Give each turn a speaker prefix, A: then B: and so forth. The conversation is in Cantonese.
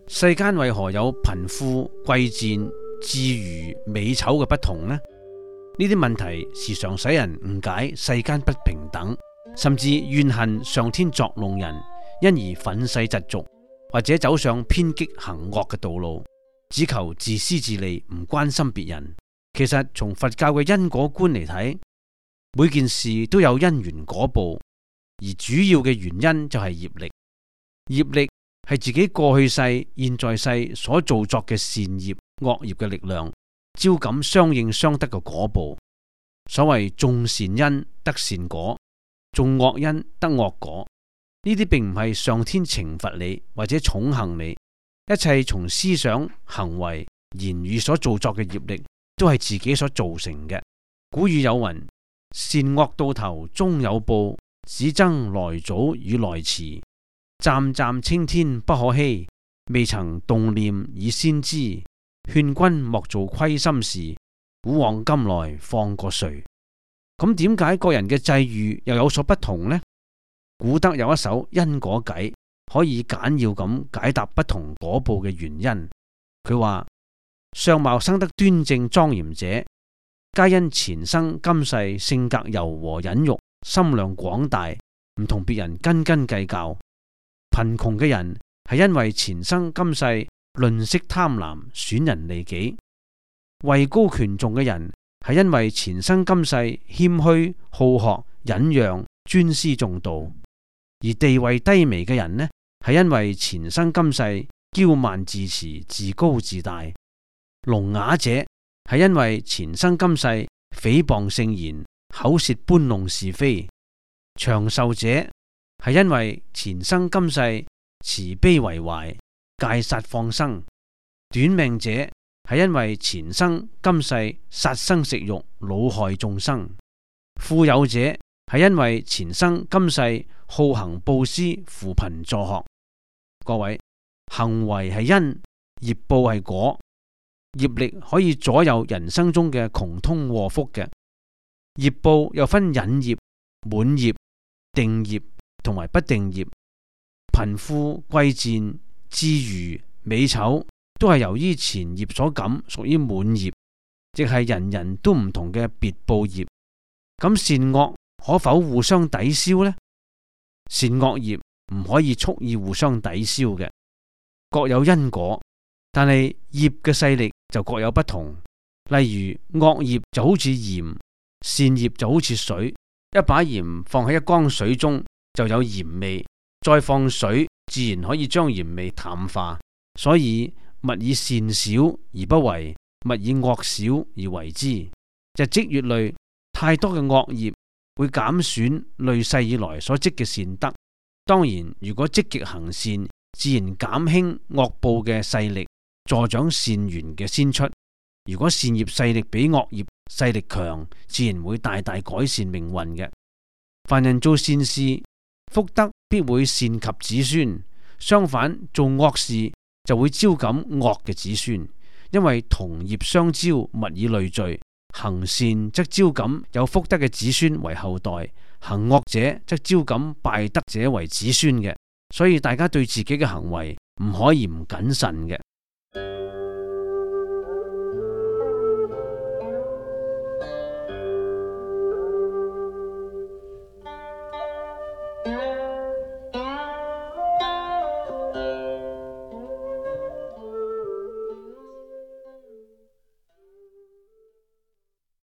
A: 世間為何有貧富貴賤、智愚美醜嘅不同呢？呢啲問題時常使人誤解世間不平等，甚至怨恨上天作弄人，因而憤世嫉俗，或者走上偏激行惡嘅道路，只求自私自利，唔關心別人。其實從佛教嘅因果觀嚟睇，每件事都有因緣果報，而主要嘅原因就係業力。業力係自己過去世、現在世所造作嘅善業、惡業嘅力量，招感相應相得嘅果報。所謂種善因得善果，種惡因得惡果。呢啲並唔係上天懲罰你或者寵幸你，一切從思想、行為、言語所造作嘅業力，都係自己所造成嘅。古語有云：善惡到頭終有報，只爭來早與來遲。湛湛青天不可欺，未曾動念已先知。勸君莫做虧心事，古往今來放過誰？咁點解個人嘅際遇又有所不同呢？古德有一首因果偈，可以簡要咁解答不同果報嘅原因。佢話：相貌生得端正莊嚴者，皆因前生今世性格柔和忍辱，心量廣大，唔同別人斤斤計較。貧窮嘅人係因為前生今世吝嗇貪婪，損人利己；位高權重嘅人係因為前生今世謙虛好學忍讓尊師重道；而地位低微嘅人呢，係因為前生今世驕慢自持自高自大；聾啞者係因為前生今世誹謗聖言口舌搬弄是非；長壽者係因為前生今世慈悲為懷，戒殺放生；短命者係因為前生今世殺生食肉，惱害眾生；富有者係因為前生今世好行布施，扶貧助學。各位，行為係因，業報係果，業力可以左右人生中嘅窮通禍福嘅。業報又分引業、滿業、定業同埋不定業。貧富貴賤、智愚美醜，都係由於前業所感，屬於滿業，亦係人人都唔同嘅別報業。咁善惡可否互相抵消呢？善惡業唔可以蓄意互相抵消嘅，各有因果，但係業嘅勢力就各有不同。例如惡業就好似鹽，善業就好似水。一把鹽放喺一缸水中，就有鹽味，再放水，自然可以將鹽味淡化。所以勿以善小而不為，勿以惡小而為之。日積月累，太多嘅惡業會減損累世以來所積嘅善德。當然，如果積極行善，自然減輕惡報嘅勢力，助長善緣嘅先出。如果善業勢力比惡業勢力強，自然會大大改善命運嘅。凡人做善事，福德必會善及子孫；相反，做惡事就會招感惡嘅子孫。因為同業相招，物以類聚。行善則招感有福德嘅子孫為後代，行惡者則招感敗德者為子孫嘅。所以大家對自己嘅行為唔可以唔謹慎嘅。